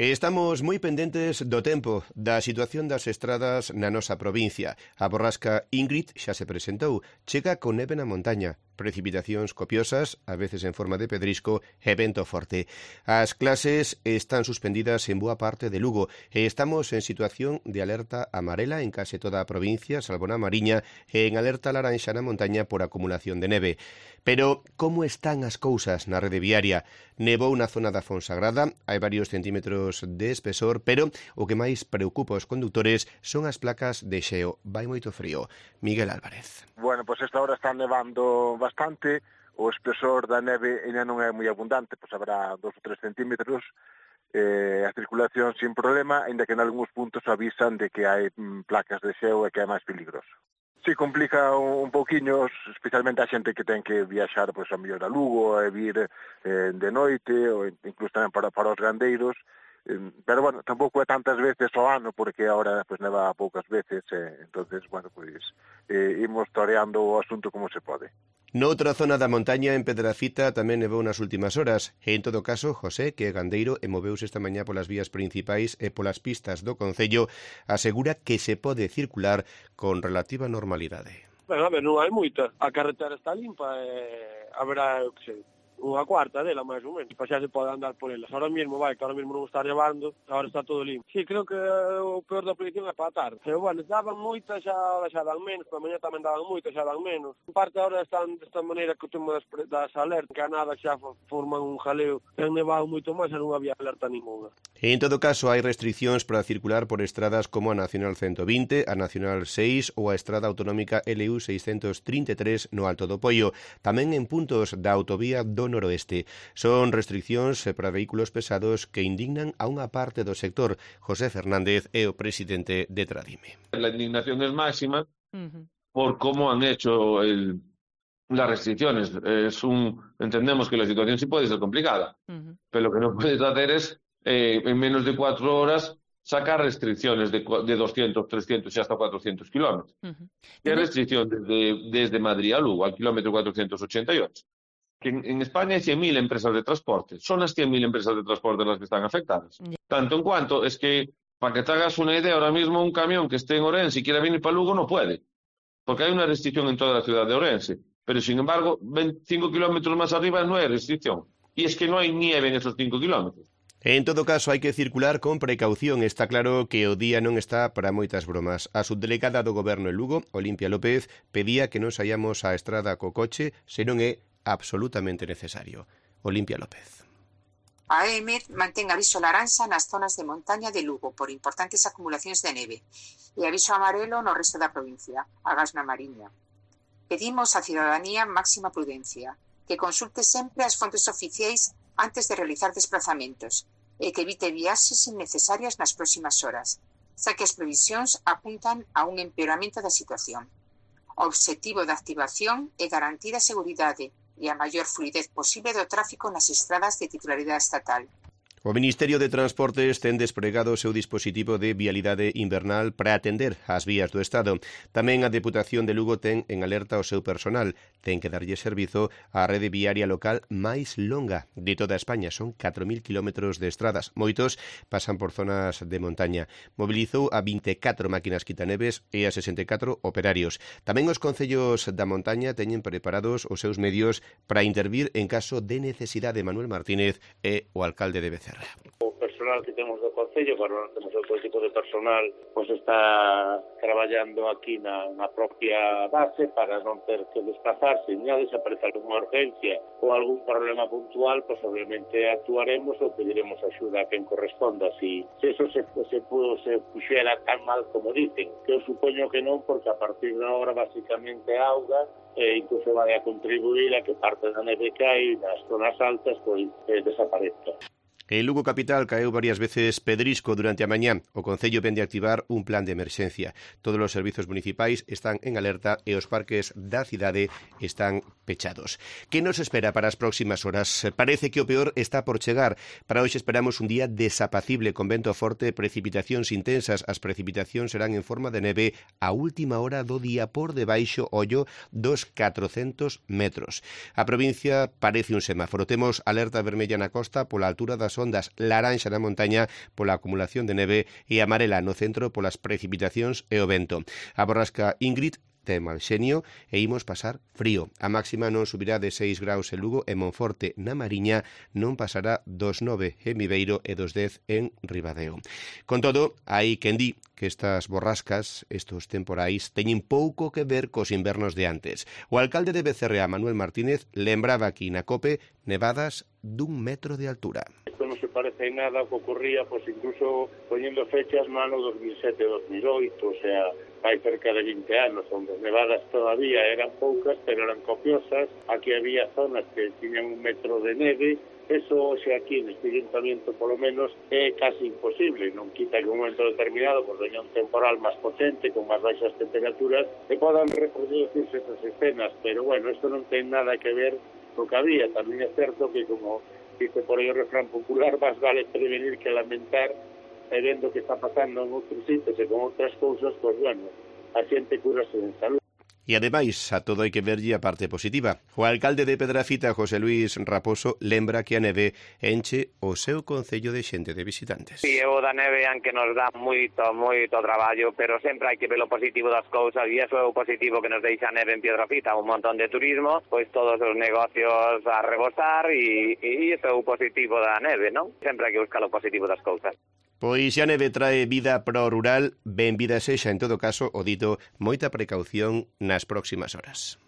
Estamos moi pendentes do tempo, da situación das estradas na nosa provincia. A borrasca Ingrid xa se presentou, chega con neve na montaña, precipitacións copiosas, a veces en forma de pedrisco e vento forte. As clases están suspendidas en boa parte de Lugo e estamos en situación de alerta amarela en case toda a provincia, salvo na Mariña, e en alerta laranxa na montaña por acumulación de neve. Pero como están as cousas na rede viaria? Nevou na zona da Fonsagrada, hai varios centímetros de espesor, pero o que máis preocupa os condutores son as placas de xeo. Vai moito frío. Miguel Álvarez. Bueno, pois esta hora está nevando bastante, o espesor da neve ainda non é moi abundante, pois habrá 2 ou 3 centímetros, a circulación sin problema, ainda que en algúns puntos avisan de que hai placas de xeo e que é máis peligroso. Si, complica un pouquiño, especialmente a xente que ten que viaxar pois, a mellor a Lugo e vir de noite, ou incluso tamén para os gandeiros, pero, bueno, tampouco é tantas veces ao ano, porque agora pues, neva poucas veces, entonces, bueno, pues, imos toreando o asunto como se pode. Noutra zona da montaña, en Pedrafita, tamén nevou nas últimas horas. E, en todo caso, José, que é gandeiro e moveuse esta mañá polas vías principais e polas pistas do concello, asegura que se pode circular con relativa normalidade. Ben, a ver, non hai moita. A carretera está limpa e haberá, eu que sei, unha cuarta dela, máis ou menos. Para xa se pode andar por elas. Ahora mesmo, que ahora mesmo non está nevando, agora está todo limpo. Sí, creo que o peor da predicción é para a tarde. Pero, bueno, daban moita, ahora xa dan menos, para mañá tamén daban moita, xa dan menos. En parte, ahora están desta maneira que o tema das alertas, que a nada xa forman un jaleo. Ten nevado moito máis e non había alerta ninguna. En todo caso, hai restriccións para circular por estradas como a Nacional 120, a Nacional 6 ou a estrada autonómica LU 633 no Alto do Poio. Tamén en puntos da autovía do noroeste. Son restriccións para vehículos pesados que indignan a unha parte do sector. José Fernández é o presidente de Tradime. La indignación es máxima por cómo han hecho las restricciones. Entendemos que la situación sí puede ser complicada, pero lo que no puedes hacer es, en menos de 4 horas, sacar restricciones de 200, 300 y hasta 400 kilómetros. ¿Qué restricción desde Madrid a Lugo, al kilómetro 488? Que en España hay 100.000 empresas de transporte. Son las 100.000 empresas de transporte las que están afectadas. Tanto en cuanto es que, para que te hagas una idea, ahora mismo un camión que esté en Orense y quiera venir para Lugo no puede, porque hay una restricción en toda la ciudad de Orense. Pero, sin embargo, 25 kilómetros más arriba no hay restricción. Y es que no hay nieve en esos 5 kilómetros. En todo caso, hai que circular con precaución. Está claro que o día non está para moitas bromas. A subdelegada do Goberno en Lugo, Olimpia López, pedía que non saíamos á estrada co coche se non é absolutamente necesario. Olimpia López. A EMED mantén aviso laranxa nas zonas de montaña de Lugo por importantes acumulacións de neve e aviso amarelo no resto da provincia, agás na Mariña. Pedimos á cidadanía máxima prudencia, que consulte sempre as fontes oficiais antes de realizar desplazamentos e que evite viaxes innecesarias nas próximas horas, xa que as previsións apuntan a un empeoramento da situación. O obxectivo da activación é garantir a seguridade e a maior fluidez posible do tráfico nas estradas de titularidade estatal. O Ministerio de Transportes ten despregado o seu dispositivo de vialidade invernal para atender as vías do Estado. Tamén a Deputación de Lugo ten en alerta o seu personal. Ten que darlle servizo á rede viaria local máis longa de toda España. Son 4.000 kilómetros de estradas. Moitos pasan por zonas de montaña. Mobilizou a 24 máquinas quitaneves e a 64 operarios. Tamén os concellos da montaña teñen preparados os seus medios para intervir en caso de necesidade. Manuel Martínez é o alcalde de Becerra. O personal que temos do Concello, non temos outro tipo de personal, pois está traballando aquí na propia base para non ter que desplazarse, nin a desaparecer alguna urgencia ou algún problema puntual, pois obviamente actuaremos ou pediremos axuda a quen corresponda. Se eso se puxera tan mal como dicen, que eu supoño que non, porque a partir de agora basicamente auga e incluso vai a contribuir a que parte da neve que hai nas zonas altas pois desaparezca. En Lugo capital caeu varias veces pedrisco durante a mañá. O Concello vende a activar un plan de emerxencia. Todos os servizos municipais están en alerta e os parques da cidade están pechados. Que nos espera para as próximas horas? Parece que o peor está por chegar. Para hoxe esperamos un día desapacible con vento forte, precipitacións intensas. As precipitacións serán en forma de neve a última hora do día por debaixo, ollo, dos 400 metros. A provincia parece un semáforo. Temos alerta vermella na costa pola altura das as ondas, laranxa na montaña pola acumulación de neve e amarela no centro polas precipitacións e o vento. A borrasca Ingrid ten mal xenio e imos pasar frío. A máxima non subirá de 6 graus en Lugo e Monforte na Mariña, non pasará dos 9 en Viveiro e dos 10 en Ribadeo. Con todo, hai quen di que estas borrascas, estos temporais, teñen pouco que ver cos invernos de antes. O alcalde de Becerrea, Manuel Martínez, lembraba aquí na COPE nevadas dun metro de altura. Isto non se parece en nada ao que ocurría, pois incluso poniendo fechas no ano 2007-2008, o sea, hai cerca de 20 anos, onde as nevadas todavía eran poucas, pero eran copiosas. Aquí había zonas que tiñan un metro de neve. Eso, xe aquí, neste ayuntamiento, polo menos, é casi imposible. Non quita que un momento determinado, pues, veña un temporal máis potente, con máis baixas temperaturas, e podan reproducirse esas escenas. Pero, bueno, isto non ten nada que ver co que había. Tamén é certo que, como dice por aí o refrán popular, máis vale prevenir que lamentar, e vendo que está pasando en outros sitios e con outras cousas, pois, bueno, a xente curase en salud. E ademais, a todo hai que verlle a parte positiva. O alcalde de Pedrafita, José Luis Raposo, lembra que a neve enche o seu concello de xente de visitantes. Si, o da neve, aunque nos dá moito traballo, pero sempre hai que ver o positivo das cousas, e iso é o positivo que nos deixa a neve en Pedrafita, un montón de turismo, pois todos os negocios a rebosar, e iso é o positivo da neve, non? Sempre hai que buscar o positivo das cousas. Pois se a neve trae vida pro rural, benvida sexa en todo caso, o dito, moita precaución nas próximas horas.